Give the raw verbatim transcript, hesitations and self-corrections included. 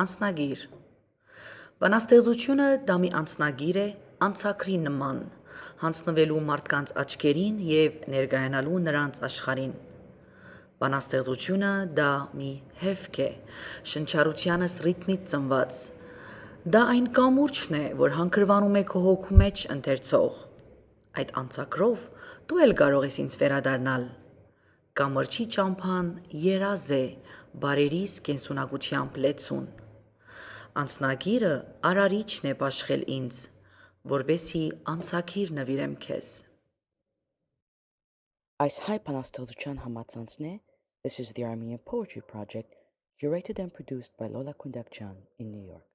Անձնագիր Բանաստեղծությունը դա մի անձնագիր է անցակրի նման, հանձնվելու մարդկանց աչքերին և ներկայանալու նրանց աշխարհին։ Բանաստեղծությունը դա մի հևք է, շնչառությանս ռիթմից ծնված։ Դա այն կամուրջն է, որ հանգրվանում է քո հոգու մեջ ընթերցող։ Այդ անցակրով դու էլ կարող ես ինձ վերադառնալ։ Կամրջի ճամփան երազ է, բարերիս կենսունակությամբ լեցուն։ Անձնագիրը արարիչն է բաշխել ինձ, որպեսզի անցագիր նվիրեմ քեզ։ Այս հայ բանաստեղծության համացանցն է This is the Armenian Poetry Project, curated and produced by Lola Kundakjan in New York.